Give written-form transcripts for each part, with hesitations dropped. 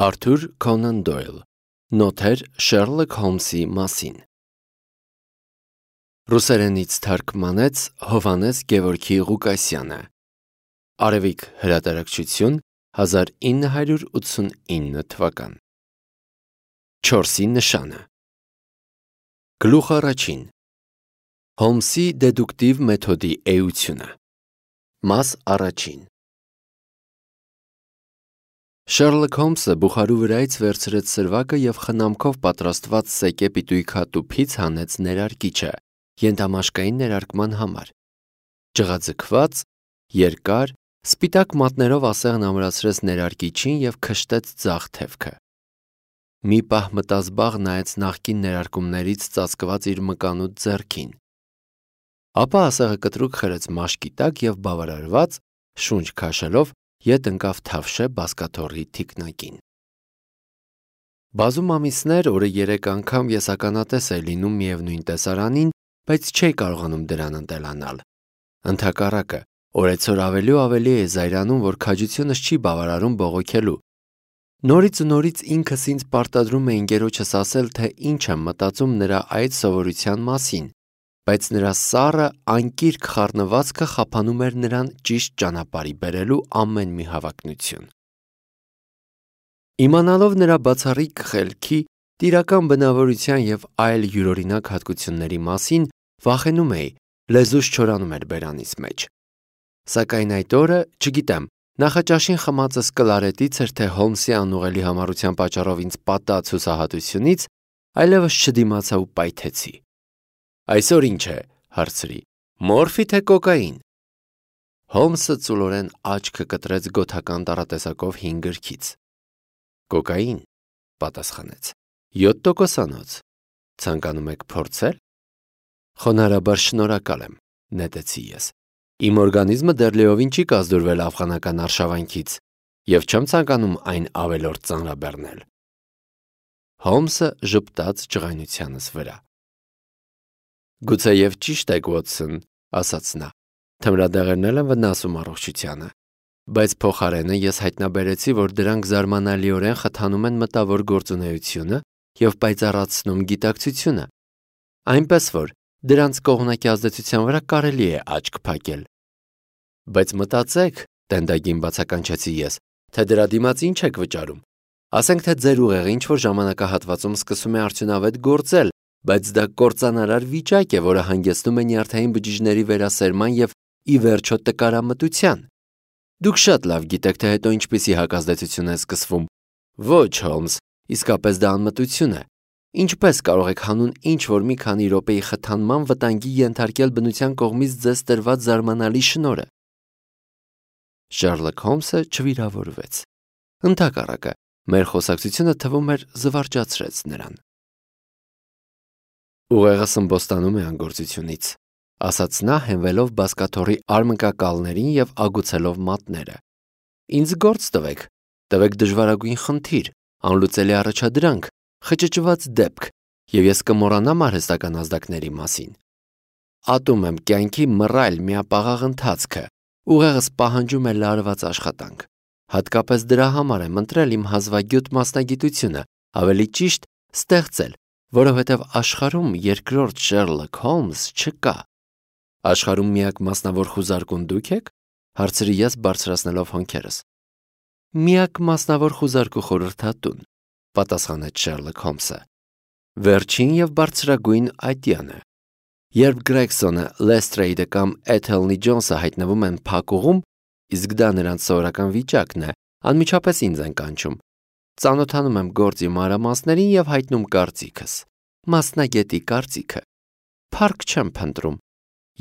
Արթուր Քոնան Դոյլ, Նոթեր Շերլոք Հոլմսի մասին։ Ռուսերենից թարգմանեց Հովհաննես Գևորգի Ղուկասյանը։ Արևիկ հրատարակչություն 1989 թվական։ 4-ի նշանը։ Գլուխ առաջին։ Հոլմսի դեդուկտիվ մեթոդի էությունը։ Մաս առաջին։ Շերլոք Հոլմսը բուխարու վրայից վերցրեց սրվակը և խնամքով պատրաստված սեկե պիտույի հատուփից հանեց ներարկիչը ենթամաշկային ներարկման համար։ Ջղաձգված, երկար, սպիտակ մատներով ասեղն ամրացրեց ներարկիչին և քշտեց ձախ թևքը։ Մի պահ մտազբաղ նայեց նախկին ներարկումներից ծածկված իր մկանուտ ձեռքին։ Ապա ասեղը կտրուկ խրեց մաշկի տակ և բավարարված, շունչ քաշելով, ետ ընկավ Թավշե բազկաթոռի թիկնակին։ Բազում ամիսներ, օրը 3 անգամ ես ականատես էի լինում միևնույն տեսարանին, բայց չէի կարողանում դրան ընտելանալ։ Ընդհակառակը, օրեցօր ավելի ու ավելի էի զայրանում, որ քաջությունս չի բավարարում բողոքելու։ Նորից ու նորից ինքս ինձ պարտադրում էի ընկերոջս ասել, թե ինչ եմ մտածում նրա այդ սովորության մասին, բայց նրա սառը, անկիրք խառնվածքը խափանում էր նրան ճիշտ ճանապարհի բերելու ամեն մի հավակնություն։ Իմանալով նրա բացառիկ խելքի, տիրական բնավորության և այլ յուրօրինակ հատկությունների մասին, վախենում էի, լեզուս չորանում էր բերանիս մեջ։ Սակայն այդ օրը, չգիտեմ, նախաճաշին խմածս կլարետից էր, թե Հոլմսի անուղելի համառության պատճառով ինձ պատած հուսահատությունից, այլևս չդիմացա ու պայթեցի։ Այսօր ինչ է, հարցրի, մորֆի թե կոկային։ Հոլմսը ծուլորեն աչքը կտրեց գոթական տառատեսակով հին գրքից։ Կոկային, պատասխանեց, 7%-անոց։ Ցանկանում եք փորձել։ Խոնարհաբար շնորհակալ եմ, նետեցի ես։ Իմ օրգանիզմը դեռ լիովին չի կազդուրվել աֆղանական արշավանքից և չեմ ցանկանում այն ավելորդ ծանրաբեռնել։ Հոլմսը ժպտաց ջղայնությանս վրա։ Գուցեև ճիշտ եք, Ուոտսոն, ասաց նա, թմրադեղերն էլ են վնասում առողջությանը, բայց փոխարենը ես հայտնաբերեցի, որ դրանք զարմանալիորեն խթանում են մտավոր գործունեությունը և պայծառացնում գիտակցությունը, այնպես որ դրանց կողմնակի ազդեցության վրա կարելի է աչք փակել։ Բայց մտածեք, տենդագին բացականչեցի ես, թե դրա դիմաց ինչ եք վճարում։ Ասենք թե ձեր ուղեղը ինչ-որ ժամանակահատվածում սկսում է արդյունավետ գործել, բայց դա կործանարար վիճակ է, որը հանգեցնում է նյարդային բջիջների վերասերման և ի վերջո տկարամտության։ Դուք շատ լավ գիտեք, թե հետո ինչպիսի հակազդեցություն է սկսվում։ Ոչ, Հոլմս, իսկապես դա անմտություն է։ Ինչպես կարող եք հանուն ինչ-որ մի քանի րոպեի խթանման վտանգի ենթարկել բնության կողմից ձեզ տրված զարմանալի շնորհը։ Շերլոք Հոլմսը չվիրավորվեց։ Ընդհակառակը, մեր խոսակցությունը թվում էր զվարճացրեց նրան։ Ուղեղս ըմբոստանում է անգործությունից, ասաց նա հենվելով բազկաթոռի արմկակալներին և ագուցելով մատները։ Ինձ գործ տվեք դժվարագույն խնդիր, անլուծելի առաջադրանք, խճճված դեպք, և ես կմոռանամ արհեստական ազդակների մասին։ Ատում եմ կյանքի մռայլ միապաղաղ ընթացքը, ուղեղս պահանջում է լարված աշխատանք։ Հատկապես դրա համար եմ ընտրել իմ հազվագյուտ մասնագիտությունը, ավելի ճիշտ ստեղծել, որովհետև աշխարհում երկրորդ Շերլոք Հոլմս չկա։ Աշխարհում միակ մասնավոր խուզարկուն դուք եք, հարցրի ես բարձրացնելով հոնքերս։ Միակ մասնավոր խուզարկու խորհրդատուն, պատասխանեց Շերլոք Հոլմսը։ Վերջին և բարձրագույն այդյանը։ Երբ Գրեգսոնը, Լեստրեյդը կամ Էթելնի Ջոնսը հայտնվում են փակուղում, իսկ դա նրանց սովորական վիճակն է, անմիջապես ինձ են կանչում։ Ծանոթանում եմ գործի մանրամասներին և հայտնում կարծիքս։ Մասնագետի կարծիքը։ Փառք չեմ փնտրում։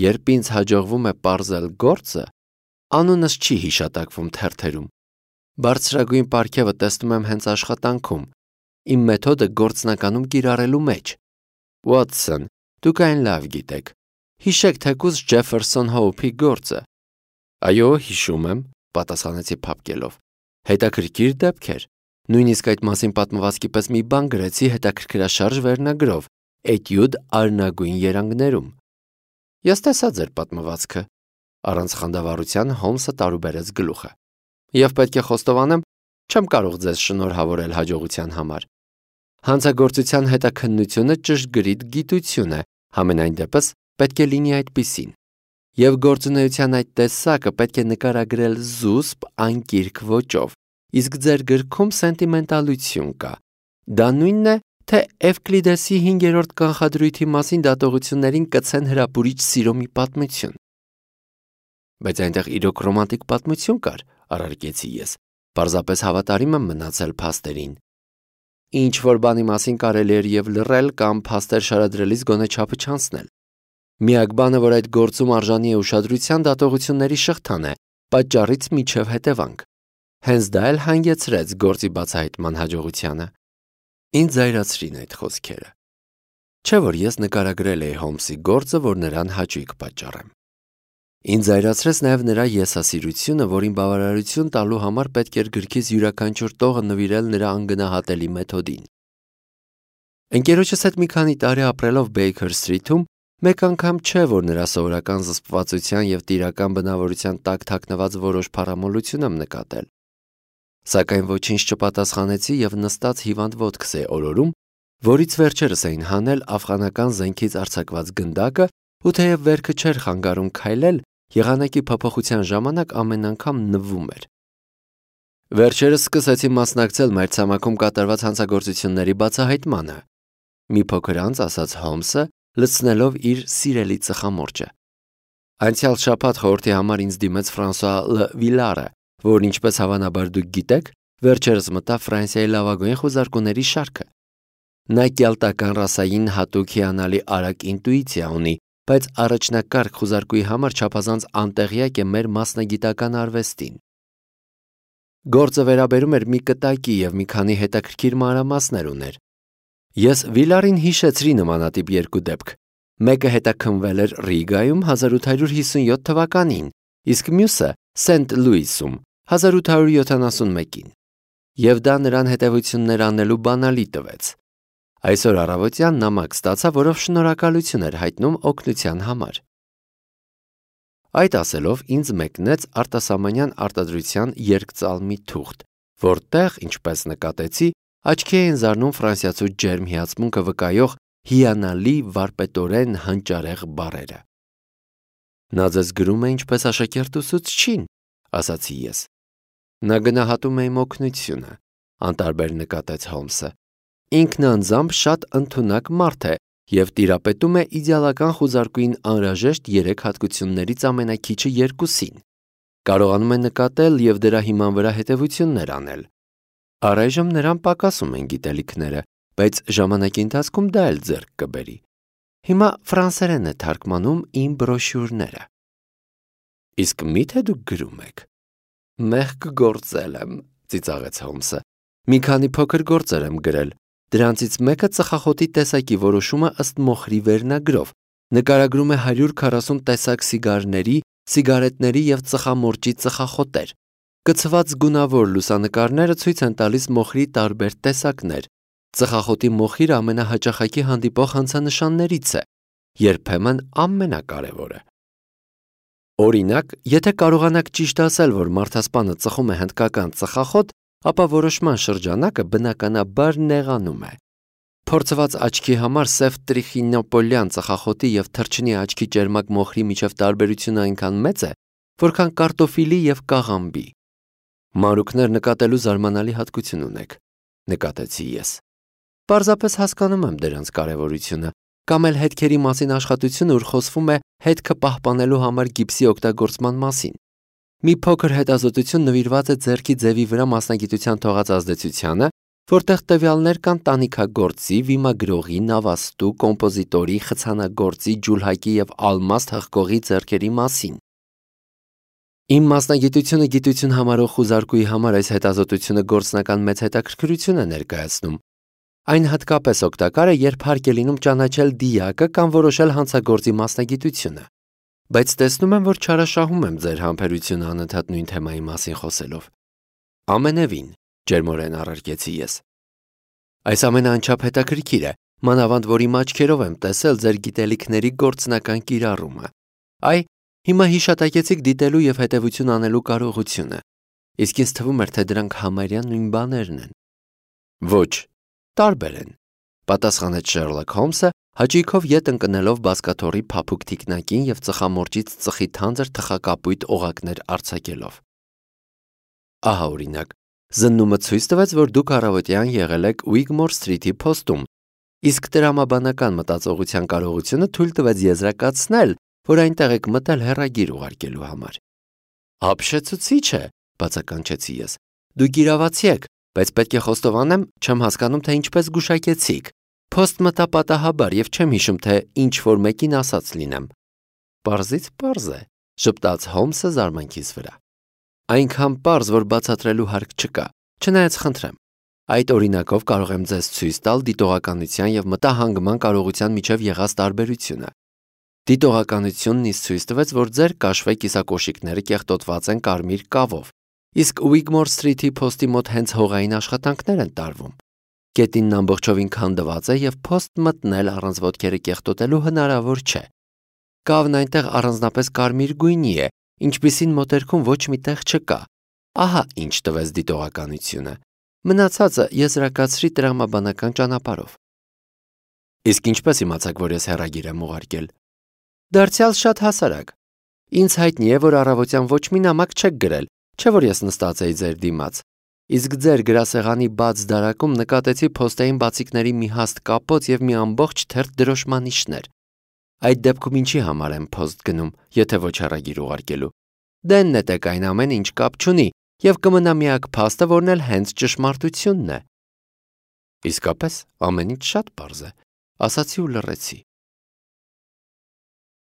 Երբ ինձ հաջողվում է պարզել գործը, անունս չի հիշատակվում թերթերում։ Բարձրագույն պարգևը տեսնում եմ հենց աշխատանքում, իմ մեթոդը գործնականում կիրառելու մեջ։ Ուոտսոն, դուք այն լավ գիտեք։ Հիշեք թեկուզ Ջեֆերսոն Հոուփի գործը։ Այո, հիշում եմ, պատասխանեցի փափկելով։ Հետաքրքիր դեպք էր։ Նույնիսկ այդ մասին պատմվածքի պես մի բան գրեցի հետաքրքրաշարժ վերնագրով Էտյուդ արնագույն երանգներում։ Ես տեսա ձեր պատմվածքը։ Առանց խանդավառության Հոլմսը տարուբերեց գլուխը։ Եվ պետք է խոստովանեմ, Չեմ կարող ձեզ շնորհավորել հաջողության համար։ Հանցագործության հետաքննությունը ճշգրիտ գիտություն է, համենայն դեպս պետք է լինի այդպիսին։ Եվ գործունեության այդ տեսակը պետք է նկարագրել զուսպ, անկիրք ոճով, իսկ ձեր գրքում սենտիմենտալություն կա։ Դա նույնն է, թե Էվկլիդեսի 5-րդ կանխադրույթի մասին դատողություններին կցեն հրապուրիչ սիրո մի պատմություն։ Բայց այնտեղ իրոք ռոմանտիկ պատմություն կար, առարկեցի ես, պարզապես հավատարիմ եմ մնացել փաստերին։ Ինչ որ բանի մասին կարելի էր և լռել կամ փաստեր շարադրելիս գոնե չափը չանցնել։ Միակ բանը, որ այդ գործում արժանի է ուշադրության, դատողությունների շղթան է, պատճառից մինչև հետևանք։ Հենց դա էլ հանգեցրեց գործի բացահայտման հաջողությանը։ Ինձ զայրացրին այդ խոսքերը։ Չէ՞ որ ես նկարագրել էի Հոլմսի գործը, որ նրան հաճույք պատճառեմ։ Ինձ զայրացրեց նաև նրա եսասիրությունը, որին բավարարություն տալու համար պետք էր գրքից յուրաքանչյուր տողը նվիրել նրա անգնահատելի մեթոդին։ Ընկերոջս հետ մի քանի տարի ապրելով Բեյքեր Սթրիթում, մեկ անգամ չէ, որ նրա սովորական զսպվածության և տիրական բնավորության տակ թաքնված որոշ փառամոլություն եմ նկատել։ Սակայն ոչինչ չպատասխանեցի և նստած հիվանդ ոտքս էի օրորում, որից վերջերս էին հանել աֆղանական զենքից արձակված գնդակը, ու թեև վերքը չէր խանգարում քայլել, եղանակի փոփոխության ժամանակ ամեն անգամ նվում էր։ Վերջերս սկսեցի մասնակցել մայրցամաքում կատարված հանցագործությունների բացահայտմանը։ Մի փոքր անց ասաց Հոլմսը, լցնելով իր սիրելի ծխամորճը։ Անցյալ շաբաթ խորհրդի համար ինձ դիմեց Ֆրանսուଆ Լ. Վիլարը, որն ինչպես հավանաբար դուք գիտեք, վերջերս մտավ Ֆրանսիայի լավագույն խուզարկուների շարքը։ Նա կելտական ռասային հատուկ հիանալի արագ ինտուիցիա ունի, բայց առաջնակարգ խուզարկուի համար չափազանց անտեղյակ է մեր մասնագիտական արվեստին։ Գործը վերաբերում էր մի կտակի և մի քանի հետաքրքիր մանրամասներ ուներ։ Ես Վիլարին հիշեցրի նմանատիպ երկու դեպք։ Մեկը հետաքննվել էր Ռիգայում 1857 թվականին, իսկ մյուսը Սենթ Լուիսում 1871-ին։ Եվ դա նրան հետևություններ անելու բանալի տվեց։ Այսօր առավոտյան նամակ ստացա, որով շնորհակալություն էր հայտնում օգնության համար։ Այդ ասելով ինձ մեկնեց արտասահմանյան արտադրության երկծալմի թուղթ, որտեղ, ինչպես նկատեցի, աչքի էին զարնում ֆրանսիացու ջերմ հիացմունքը վկայող հիանալի վարպետորեն հանճարեղ բառերը։ Նա ձեզ գրում է ինչպես աշակերտուսուցչին, ասացի ես։ Նա գնահատում է իմ օգնությունը, անտարբեր նկատեց Հոլմսը։ Ինքն անձամբ շատ ընդունակ մարդ է և տիրապետում է իդեալական խուզարկուին անհրաժեշտ 3 հատկություններից ամենաքիչը 2-ին։ Կարողանում է նկատել և դրա հիման վրա հետևություններ անել։ Առայժմ նրան պակասում են գիտելիքները, բայց ժամանակի ընթացքում դա էլ ձեռք կբերի։ Հիմա ֆրանսերեն է թարգմանում իմ բրոշյուրները։ Իսկ մի՞թե դուք գրում եք։ Մեղք գործել եմ, ծիծաղեց Հոլմսը։ Մի քանի փոքր գործեր եմ գրել։ Դրանցից մեկը ծխախոտի տեսակի որոշումը ըստ Մոխրի վերնագրով նկարագրում է 140 տեսակ սիգարների, սիգարետների և ծխամորճի ծխախոտեր։ Կցված գունավոր լուսանկարները ցույց են տալիս մոխրի տարբեր տեսակներ։ Ծխախոտի մոխիրը ամենահաճախակի հանդիպող հանցանշաններից է, երբեմն ամենակարևորը։ Օրինակ, եթե կարողանաք ճիշտ ասել, որ մարդասպանը ծխում է հնդկական ծխախոտ, ապա որոշման շրջանակը բնականաբար նեղանում է։ Փորձված աչքի համար սև տրիխինոպոլյան ծխախոտի և թռչնի աչքի ճերմակ մոխրի միջև տարբերությունը այնքան մեծ է, որքան կարտոֆիլի և կաղամբի։ Մանրուքներ նկատելու զարմանալի հատկություն ունեք, նկատեցի ես։ Պարզապես հասկանում եմ դրանց կարևորությունը, կամ էլ հետքերի մասին աշխատությունը, ուր խոսվում է հետքը պահպանելու համար գիպսի օգտագործման մասին։ Մի փոքր հետազոտություն նվիրված է ձեռքի ձևի վրա մասնագիտության թողած ազդեցությանը, որտեղ տվյալներ կան տանիքագործի, վիմագրողի, նավաստու, կոմպոզիտորի, խցանագործի, ջուլհակի և ալմաստ հղկողի ձեռքերի մասին։ Իմ մասնագիտությունը գիտություն համարող խուզարկուի համար այս հետազոտությունը գործնական մեծ հետաքրքրություն է ներկայացնում։ Այն հատկապես օգտակար է, երբ հարկ է լինում ճանաչել դիակը կամ որոշել հանցագործի մասնագիտությունը։ Բայց տեսնում եմ, որ չարաշահում եմ ձեր համբերությունը անընդհատ նույն թեմայի մասին խոսելով։ Ամենևին, ջերմորեն առարկեցի ես։ Այս ամենը անչափ հետաքրքիր է, մանավանդ որ իմ աչքերով եմ տեսել ձեր գիտելիքների գործնական կիրառումը։ Այ, հիմա հիշատակեցիք դիտելու և հետևություն անելու կարողությունը։ իսկ ինձ թվում էր, թե դրանք համարյա նույն բաներն են։ Ոչ, տարբեր են, պատասխանեց Շերլոք Հոլմսը, հաճույքով ետ ընկնելով բազկաթոռի փափուկ թիկնակին եւ ծխամորճից ծխի թանձր թխակապույտ օղակներ արձակելով։ Ահա օրինակ, զննումը ցույց տվեց, որ դուք առավոտյան եղել եք Ուիգմոր Սթրիթի փոստում, իսկ տրամաբանական մտածողության կարողությունը թույլ տվեց եզրակացնել, որ այնտեղ եք մտել հեռագիր ուղարկելու համար։ Ապշեցուցիչ է, բացականչեցի ես։ Դուք իրավացի եք, բայց պետք է խոստովանեմ, չեմ հասկանում, թե ինչպես գուշակեցիք։ Փոստ մտա պատահաբար եւ չեմ հիշում, թե ինչ որ մեկին ասած լինեմ։ Պարզից պարզ է, ժպտաց Հոլմսը զարմանքից վրա։ Այնքան պարզ, որ բացատրելու հարկ չկա, չնայած խնդրեմ։ Այդ օրինակով կարող եմ ձեզ ցույց տալ դիտողականության եւ մտահանգման կարողության միջև եղած տարբերությունը։ Դիտողականությունն ինձ ցույց տվեց, որ ձեր կաշվե կիսակոշիկները կեղտոտված են կարմիր կավով, իսկ Ուիգմոր Սթրիթի փոստի մոտ հենց հողային աշխատանքներ են տարվում։ Գետինն ամբողջովին քանդված է եւ փոստ մտնել առանց ոտքերը կեղտոտելու հնարավոր չէ։ Կավն այնտեղ առանձնապես կարմիր գույնի է, ինչպիսին մոտերքում ոչ մի տեղ չկա։ Ահա ինչ տվեց դիտողականությունը։ Մնացածը եզրակացրի տրամաբանական ճանապարհով։ Իսկ ինչպես իմացաք, որ ես հեռագիր եմ ուղարկել։ Դարձյալ շատ հասարակ։ Ինձ հայտնի է, որ առավոտյան ոչ մի նամակ չեք գրել, չէ՞ որ ես նստած էի ձեր դիմաց։ Իսկ ձեր գրասեղանի բաց դարակում նկատեցի փոստային բացիկների մի հաստ կապոց եւ մի ամբողջ թերթ դրոշմանիշներ։ Այդ դեպքում ինչի համար եմ փոստ գնում, եթե ոչ հեռագիր ուղարկելու։ Դե նետեք այն ամեն ինչ կապ չունի եւ կմնա միակ փաստը, որն էլ հենց ճշմարտությունն է։ Իսկապես, ամեն ինչ շատ պարզ է, ասացի ու լռեցի։